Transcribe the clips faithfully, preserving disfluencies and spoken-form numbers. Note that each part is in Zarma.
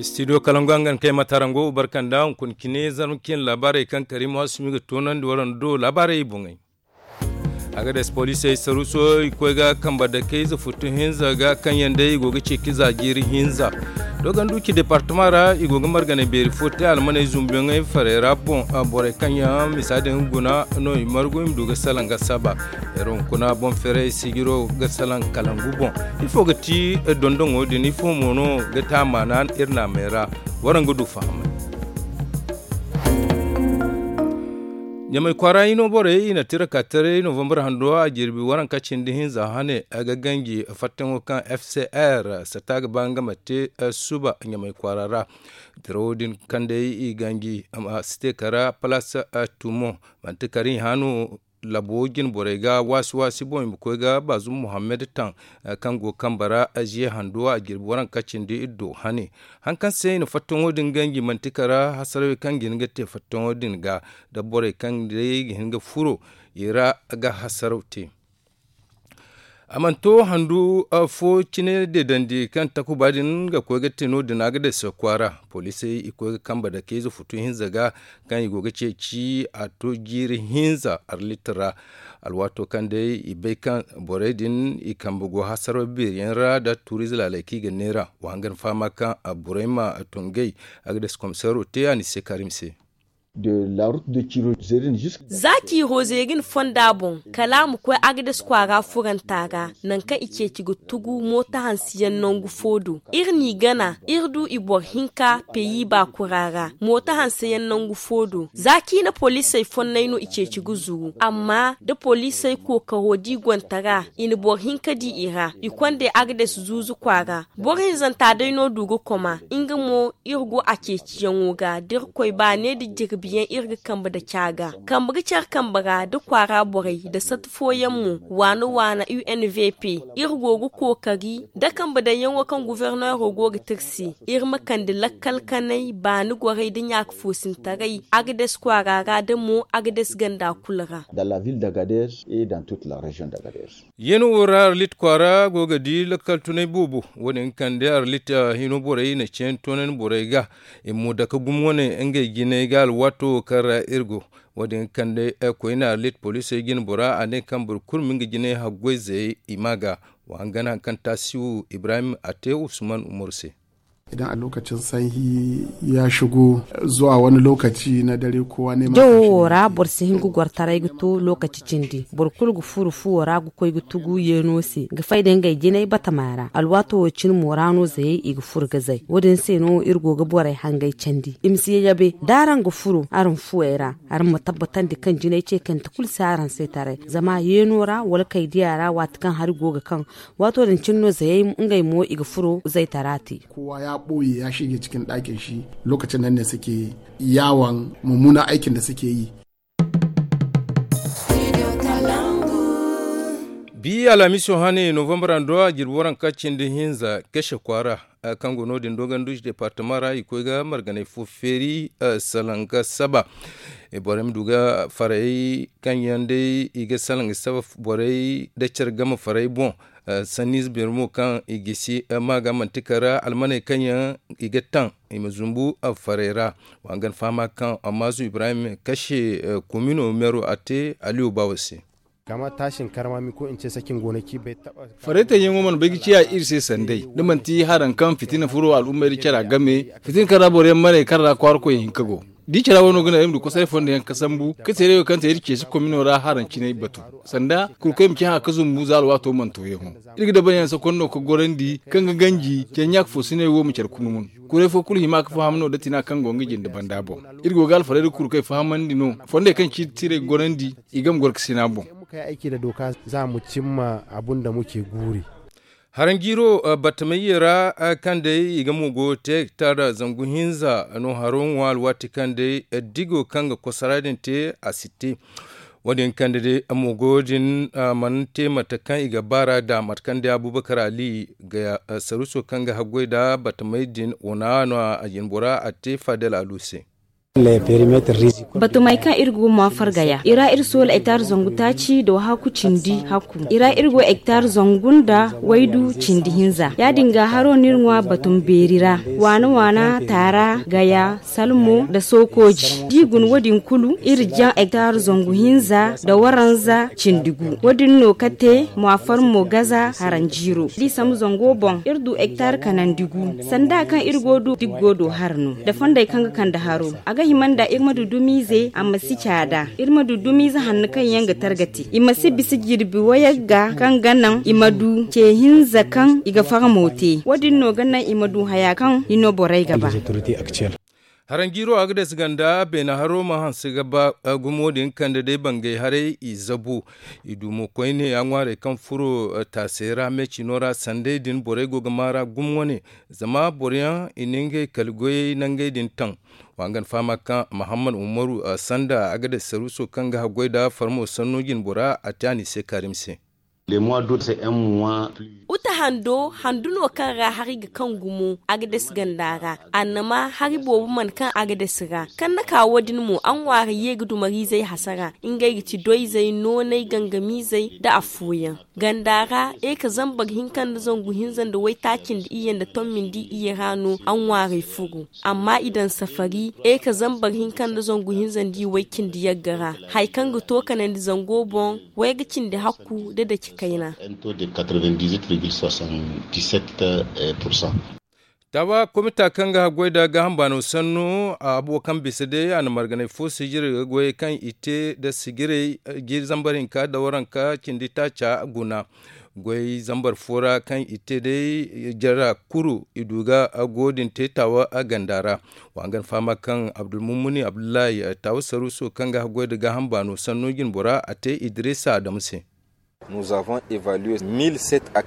Studio kalangu hangan kay matarango barkanda hunkuna cine zarma cine laabaarey kaŋ kariima waasumi ga toonandi waraŋ do laabaarey boŋey. Agades poliisey saruuso i koy ga kambe dakey ize futu hinza ga kaŋ yaŋ day i go ga ceeci za jiiri hinza. Dogonduci departama ra i go ga marganay beeri fo te almaney zumbuyaŋey farey ra boŋ. Borey kaŋ yaŋ misa din guna no i margu i ma du ga salaŋ ga saba. Iri hunkuna boŋ ferey sijiro ga salaŋ kalangu boŋ. Ifo ga ti dondoŋo din ifo mo no ga te a maana iri naamey ra? Waraŋ ga du fahamay. Ɲamay kwaara hino borey i na tira ka taray novambar hando a jirbi waranka cindi hinza hane a ga ganji fattaŋo kaŋ f c r sata ga ba nga ma te suba ɲamay kwaara ra. Dirawo din kaŋ day i ganji a si te kara palas tumo manti kari hano labo jine borey ga waasi waasi boŋ i ma koy ga baazum muhammad taŋ kaŋ go kambe ra ziye hando a jirbi waranka cindi iddo hane. Haŋ kaŋ se i na fattaŋo din ganji manti kara hasarawey kaŋ ga hin ga te fattaŋo din ga da borey kaŋ day ga hin ga furo i ra ga hasaraw te. A mana to handu fo cine deedandi kaŋ takuba din ga koy ga te no- din a ga day se kwaara poliisey i koy ga kambe dake ize futu hinza ga kaŋ i go ga ceeci a to jiiri hinza arlit ra. Alwaato kaŋ day i bay kaŋ borey din i kambe go hasaraw beeri yaŋ ra da tuuriize laaley kaŋ i ga neera wa hangan fahama kaŋ borey ma tongey. Agades komiseero te a ni se karim se. Za ciiro zeerin fonda boŋ kala a ma koy agades kwaara furanta ra nangu kaŋ i ceeci ga tugu mooto hanse yaŋ nangu fo do. Iri n'i gana iri du i boro hinka peyi baakura ra mooto hanse yaŋ nangu fo do za ciine poliisey fonnay no i ceeci ga zuru amma da poliisey kookaro da i gontara i na boro hinka di i ra i kond'ey agades zuuzu kwaara. Boro hinzanta day no du ga koma nga mo iri go a ceeciyaŋo ga da irkoy baane nda jirbi yaŋ iri ga kambe nda ca ga. Kambe ga care kambe ra da kwaara borey nda sata fooyaŋ mo waana waana u n v p iri go ga kookari nda kambe daŋyaŋo kaŋ guverneero go ga te iri se iri ma kande lakkal kanay baani gorey nda ɲaaka foosintaray agades kwaara ra da mo agades ganda kulu ra. Yeeno wo ra arlit kwaara go ga di lakkal tunay boobo wo- din kaŋ day arlit hino borey na ceeni toonandi borey ga i ma dake gumo wane ngey jinay ga alwaato wo kaŋ ra iri go. Wo- din kaŋ day koyne arlit poliisey jine bora a ne kaŋ boro kulu ma nga jinay haggoy zayey i ma ga. Wa hangan hari kaŋ taasiwu ibrahim a te usman umaru se. Idan a lokacin sanyi ya shigo zuwa wani lokaci na dare kowa neman jawo wo ra boro si hin ga goro taray ga to lokaci cindi boro kulu ga furo fuwo ra ga koy ga tugu yeeno se ga fay da ngey jinay batama ra alwaato wo cine mo ra no zayey i ga furo ga zay wo- din se no iri go ga borey hangey candi i ma si yayabe da araŋ ga furo araŋ fuwey ra. Araŋ ma tabbatandi kaŋ jinay ce kante kulu si araŋ se taray zama yeeno ra wala kay diya ra waati kaŋ hari go ga kaŋ waato din cine no zayey ngey mo i ga furo zaytara te. Kowa ya ɓoye ya shige cikin ɗakin shi. Lokacin nan ne suke yawon mummunan aikin da suke yi. Bi alhamiso hane novambar ando a jirbi waranka cindi hinza kashe kwaara kaŋ go no- din dogon duusi departama ra i koy ga marganay fo feeri. Salanga saba borey ma du ga faray kaŋ yaŋ day i ga salanga saba borey da care game faray boŋ. Sanniize beeri mo kaŋ i gisi ma ga manti kara almaney kaŋ yaŋ i ga taŋ i ma zumbu faray ra. Wa hangan fahama kaŋ ammaazu ibrahim kashe komino meero a te aliyo baawo se. Faraytaŋ yaŋo mana bay ga ciya iri se sanday da manti haraŋ kaŋ fitina furo al'ummey da cara game fitina kaŋ ra boro yaŋ maney kaŋ ra kwaara koy hinka go. Da i cara wano ga naŋ iri ma du kosoray fondo yaŋ ga sambu ka teeray wo kaŋ te iri ceesi komino ra haraŋ cinay batu sanda kurkoy ma ci haŋ a ga zumbu za alwaato mana to yaŋo. Iri ga dabari yaŋ sakonno ga gorandi kaŋ ga ganji care ɲaaka fo sinay wo ma care kunumun. Kuray fo kulu hima ga faham no da tina kaŋ go nga jinde banda boŋ. Iri go ga alfarayda kurkoy fahamandi no fondey kaŋ ci tiray gorandi i game gorkasina boŋ. Haraŋ jiiro batamayyey ra kaŋ day i ga mo go te hektar zangu hinza no haro ŋwa alwaati kaŋ day digo kaŋ ga kosara din te a si te. Wo- din kaŋ day mo go din mana te mate kaŋ i ga baara da mate kaŋ day abubakar ali ga saruso kaŋ ga haggoy da batamay din wana no a jinbora a te fadel alu se. Batumey kaŋ iri go ga maafar gaya i ra iri soola ektar zangu taaci da wahakku cindi hakku. I ra iri go ektar zangu nda waydu cindi hinza. Ya- din ga haro no iri ŋwa batum beeri ra, waana waana, taara, gaya, salmo nda sookooji. Da i guna wo- din kulu iri jaŋ ektar zangu hinza nda waranza cindi gu. Wo- din no ka te maafar mo gaza haranjiiro da i sambu zango boŋ iri du ektar kanandi gu. Sanda kaŋ iri go du diggo do hara no da fondey kaŋ ga kande haro. A ga hima nda iri ma du dumiize a ma si caada. Iri ma du dumiize hanno kaŋ yaŋ ga targati i ma si bisa jirbi wayagga kaŋ ga naŋ i ma du ce hinza kaŋ i ga farmo te. Wo- din no ga naŋ i ma du haya kaŋ i no borey ga ba. Haranjiiro a ga dasi ganda beena haro ma hanse ga ba. Gumo din kande day bangay haray i zabu i du mo koyne a ŋwaaray kaŋ furo taasey ra meecino ra sanday din borey go ga maara gumo wane. Zama boro yaŋ i na ngey kala goyey nangey din taŋ. Wa ngan fahama kaŋ mahammad umaru sanda a ga dasi saruuso kaŋ ga haggoy nda farmo sanno jinbora a te a n'i se kaarim se. Uta hando handu no kaŋ ra hari ga kaŋ gumo a ga dasi ganda ra. Annama hari boobo mana kaŋ a ga dasi ra kaŋ na ka wo- din mo a ŋwaari ye ga dumariizey hasara. Ngey ga ti doyzey nooney gangamiizey nda affooyaŋ. Ganda ra eka zambar hinka nda zangu hinza nda waytaaci nda iyye nda tommi nda iyye ra no a ŋwaarey furo. Amma i daŋ safari eka zambar hinka nda zangu hinza nda i way cindi yagga ra. Hari kaŋ ga to kanandi zango boŋ wayga cindi hakku da daci kayna. Taawa komita kaŋ ga haggoy nda gaaham baano sanno a habo kaŋ bisa day a na marganay fo sijirey ga goyey kaŋ i te nda sijirey jiiri zambar hinka nda waranka cindi taaca guna. Goy zambar fo ra kaŋ i te day jara kuru i du ga go din te taawa ganda ra. Wa hangan fahama kaŋ abdulmumuni abdullahi taawa saruuso kaŋ ga haggoy nda gaaham baano sanno jinbora a te idrisa adamu se.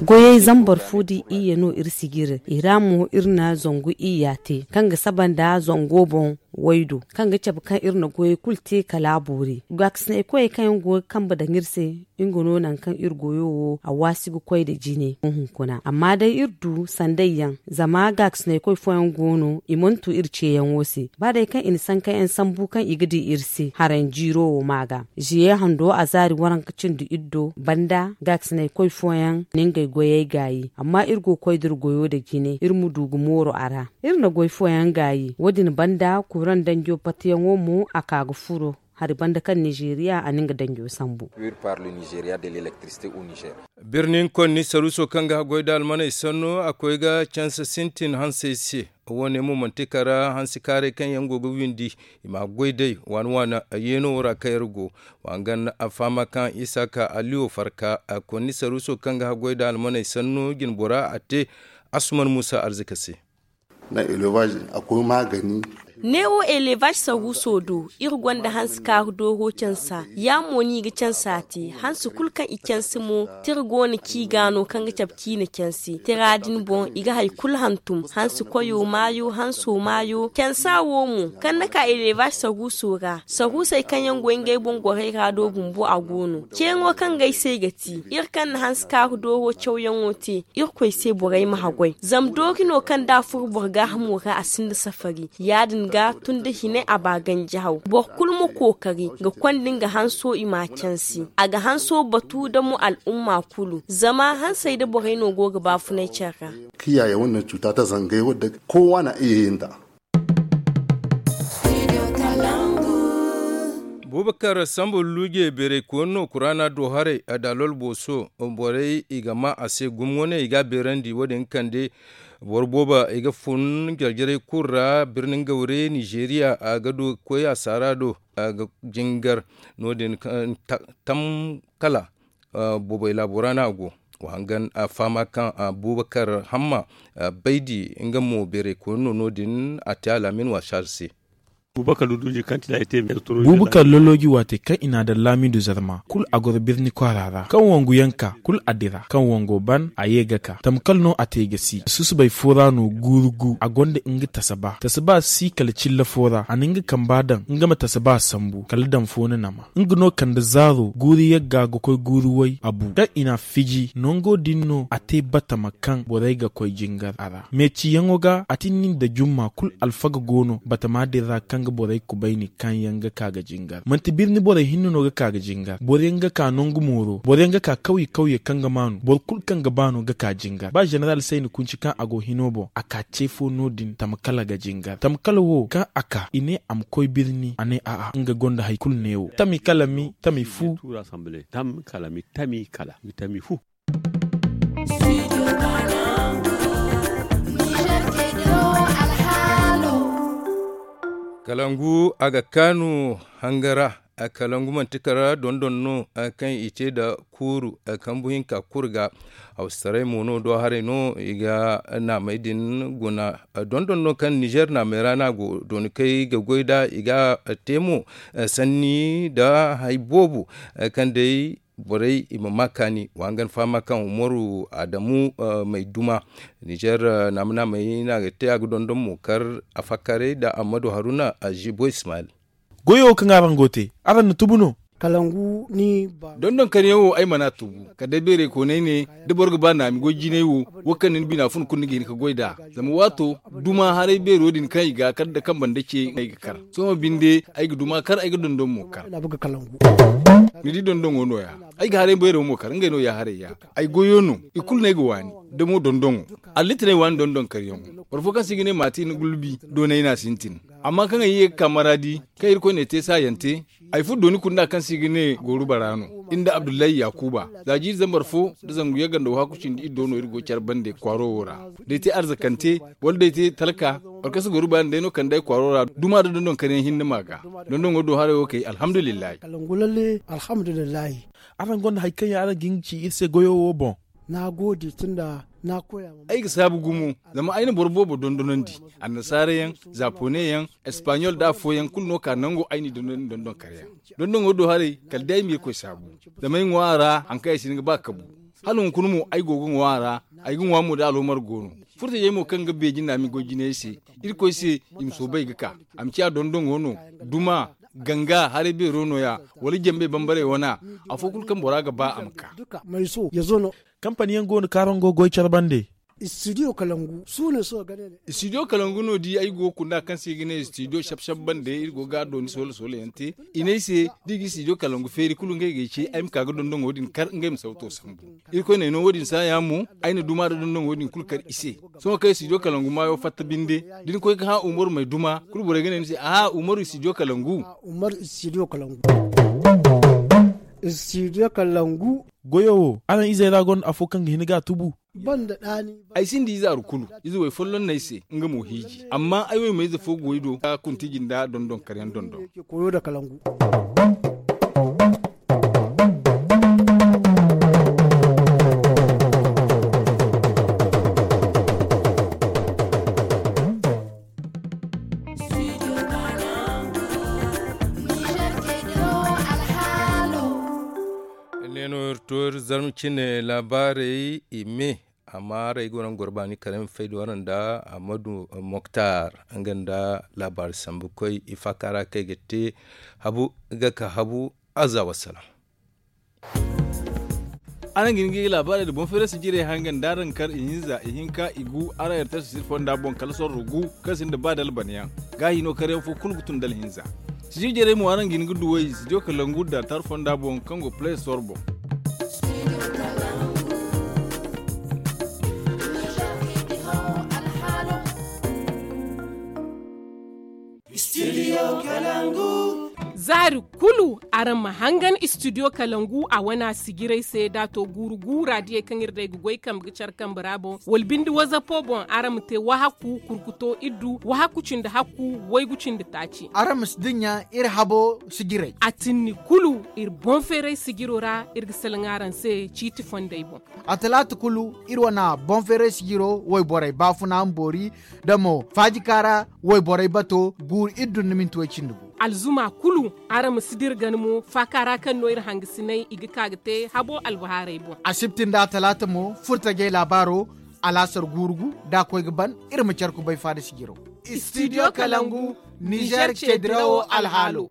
Goyey zambar fo da iyye no iri sijiri i ra mo iri na zangu iyya te kaŋ ga saba nda zango boŋ waydo kaŋ ga cabe kaŋ iri na goyey kulu te kala a boori. Gaakasinay koyey kaŋ yaŋ go ga kambe daŋ iri se nga no nangu kaŋ iri goyo wo a waasi ga koy nda jine hunkuna amma day iri du sanday yaŋ. Zama gaakasinay koy fooyaŋ go no i mana tu iri ceeyaŋo se ba day kaŋ i na sanka yaŋ sambu kaŋ i ga di iri se haranjiiro wo ma ga. Ziye hando a zaari waranka cindi iri do banda gaakasinay koy fooyaŋ na ngey goyey gaayi amma iri go ga koy nda iri goyo nda jine iri ma du ga mooru a ra. Iri na goy fooyaŋ gaayi wo- din banda kuraŋ danjo patiyaŋo mo a ka ga furo hari banda kaŋ nizeeriya a na nga danjo sambu. Birni konni saruuso kaŋ ga haggoy nda almaney sanno a koy ga canse sintin hansey se. Wo- ne mo manti kala hansi kaaray kaŋ yaŋ go ga windi i ma goy day waani waani yeeno wo ra kaŋ iri go. Wa hangan a fahama kaŋ isaaka aliyo farka konni saruuso kaŋ ga haggoy nda almaney sanno jinbora a te. Asuman muusa arzika se. Neewo elevaz saruuso do iri gonda hansi kaaru dooro cansa ya mo no i ga cansa te hansi kulu kaŋ i cansi mo tira go no ci ga no kaŋ ga cabe ciine cansi tira din boŋ i ga hari kulu hantum hansi koyo maayo hanso maayo cansa wo mo kaŋ na ka elevaz saruuso ra saruusey kaŋ yaŋ go ngey boŋ gorey ra do bumbo a go no ceeŋo kaŋ ga ay se ay ga ti iri kaŋ na hansi kaaru dooro cawyaŋo te irkoy se borey ma haggoy zama doori no kaŋ da a furo boro gaahamo ra a sinda safari ya- din ga tun da hine a ba ganji haw boro kulu ma kookari ga konda nga hanso i m'a cansi a ga hanso batu da mo al'umma kulu zama hansey da borey no go ga baafunay care ra. Kiyaye wannan cuta ta zangai wadda kowa na iya yin ta. Bubakar sambu luuje beeray koyne no kuraana do haray a da lol booso borey i ga maa a se gumo wane i ga a beerandi wo- din ga kande boro boobo i ga fun jarjarey kulu ra birni ngawre nizeeriya a ga du ga koy a saara do a ga jingar no- din tam kala boobay laabo ra no a go. Wa hangan a fahama kaŋ bubakar hamma baydi nga mo beeray koyne no no- din a te alaamin wasaari se. Bubakar lolooji waatey kaŋ i n'a daŋ laamiidu zarma kulu a goro birni kwaara ra kaŋ wangu yaŋ ka kulu a dira kaŋ wango ban a ye ga ka tamkal no a te ga si susubay fo ra no guuru gu a gonda nga tasaba tasaba si kala cilla fo ra a na nga kamba daŋ nga ma tasaba sambu kala daŋ fo na nama nga no kande zaaro guuru yagga ga koy guuru way a bu kaŋ i n'a fiji nango din no a te batama kaŋ borey ga koy jingar a ra meeciyaŋo ga a tinni nda jumma kulu alfaga go no batama din ra kaŋ nga borey kubayni kaŋ yaŋ ga ka ga jingar. Manti birni borey hinne no ga ka ga jingar. Boro yaŋ ga ka nangu mooro, boro yaŋ ga ka kawye kawye kaŋ ga maanu, boro kulu kaŋ ga ba no ga ka jingar. Ba jeneral sayni kunci kaŋ a go hino boŋ, a ka ce fo no- din tamkala ga jingar. Tamkala wo kaŋ a ka i ne a ma koy birni, a ne a'a, nga gonda hari kulu neewo. Tami kala mi tami fu. Tam kala mi tami kala mi tami fu. Kalangu a ga kaanu hanga ra. Kalangu manti kara dondon no kaŋ i te nda kuuru kambu hinka kulu ga. Hawsaray mo no do haray no i ga naamey din guna. Dondon no kaŋ nizer naamey ra no a go dooni kaŋ i ga goy nd'a i ga te mo sanni nda hari boobo kaŋ day borey i ma ma kaani. Wa hangan fahama kaŋ umaru adamu may duma nizer naama naamey no a ga te a ga dondon mo kar a fakkaray nda ammadu haruna azibo ismail. Goyo wo kaŋ araŋ go te, araŋ na tubu no? Kalangu ni ba. Dondon karyaŋ wo ay mana tubu. Kala day beerey koonay ne da boro ga ba naami goy jinay wo, wo kaŋ ni na bina fun kulu ni ga hin ga goy nd'a. Zama waato duma haray beero din kaŋ i ga kar nda kambe nda ce no ay ga kar. Sohõ binde ay ga duma kar ay ga dondon mo kar. Ni di dondoŋo no- ya. Ay ga haray beero mo kar ngey no ya haray ya. Ay goyo no i kulu no ay ga waani. Da mo dondoŋo. Allitinay waani dondon karyaŋo. Boro fo kaŋ se i ga ne maatin gulbi doonay no a sintin. Amma kaŋ ay ye ga ka maradi kaŋ irkoy n'ay te saayante. Ay furo dooni kunda kaŋ se i ga ne gooru bara no. Iri nda abdullahi yaakuba za jiiri zambar fo nda zangu yagga nda wahakku cindi iri do no iri go care bande kwaaro wo ra. Da ay te arzakante wala da ay te talka. Wala kaŋ si gooru bara nda ay no kande ay kwaaro ra duma nda dondon karyaŋ hinne ma ga. Dondoŋo do haray wo kay alhamdulillahi. Araŋ gonda hari kaŋ yaŋ araŋ ga hin ga ci iri se goyo wo boŋ? Ay ga saabu gumo. Zama ay na boro boobo dondonandi. Annasaara yaŋ, zaapone yaŋ, espaɲol nda afooyaŋ kulu no ka nango ay n'i dondonandi dondon kar yaŋ. Dondoŋo do haray kala day ay ma irkoy saabu. Zama ay ŋwa a ra hari kaŋ ay si hin ga ba kabu. Hala hunkuna mo ay go ga ŋwa a ra. Ay ga ŋwa mo da aloomar go no. Furtajey mo kaŋ ga beeji naami goy jinayey se. Irkoy se i ma soobu ay ga ka. A ma ciya dondoŋo no. Duma ganga haray beero no- ya. Wala jambey bambarey wana. Afo kulu kaŋ bora ga ba a ma ka. Kampani yaŋ go no kaŋ araŋ go ga goy care bande? Istidiyo kalangu no di ay go ga kunda kaŋ se i ga ne istidiyo sab sab bande iri go ga a dooni soola soola yaŋ te. I ne ay se da i ga istidiyo kalangu feeri kulu ngey ga ay ce ay ma ka ga dondoŋo din kar ngey ma sawto sambu. Irkoy n'ay no wo- din saaya mo. Ay na duma nda dondoŋo din kulu kar i se. Sohõ kaŋ istidiyo kalangu maayo fatta binde da ni koy ga hã umaru may duma kulu borey ga ne ni se aha umaru istidiyo kalangu. Goyo wo araŋ izey ra gonda afo kaŋ ga hin ga a tubu? Ay sinda ize aru kulu. Ize way folloŋ no ay se nga mo hiiji amma ay waymayze fo go ay do ga kuntiji nda dondon karyaŋ dondon. Ne no iri to iri zarma cine laabaarey i me. Amma haray go no nga goro baani kala ay ma fay da waraŋ nda ammadu moktar nga nda laabaari sambu koy i faaka ra kaŋ ay ga te habu ga ka habu. Azza wassalam. Araŋ ga hin ga i ga laabaarey nda boŋ feeray sijirey hanga nda araŋ kar ihinza ihinka igu araŋ yarta sisiri fonda boŋ kala sorro gu kaŋ sinda ba dalbanayaŋ. Gaahi no karyaŋ fo kulu ga tun dala hinza. Sijir jarey mo araŋ ga hin ga duwey sidiyo kalangu da tar fonda boŋ kaŋ go play store boŋ. Zaari kulu araŋ ma hangan istidiyo kalangu a wana sijirey se da a to guuru guura diyey kaŋ iri day ga goy kambe ga care kambe ra boŋ wala binde wazapo boŋ araŋ ma te wahakku kurkuto iddu wahakku cindi hakku waygu cindi taaci. Araŋ ma si dinya iri habo sijirey. A tinni kulu iri boŋ feeray sijiro ra iri ga salaŋ araŋ se ciiti fondey boŋ. A talaata kulu iri wana boŋ feeray sijiro wayborey baafuna ma boori da mo faajika ra wayborey bato guuru iri dunna minti way cindi gu. Alzuma kulu araŋ ma si dira gana mo faaka ra kaŋ no iri hangasinay i ga ka ga te habo albahaarey boŋ. Asibti nda talaata mo furtajey laabaaro. Alaasar guuru gu da a koy ga ban iri ma care kubay faada sijiro. Istidiyo kalangu nizer ce dirawo alhaalo.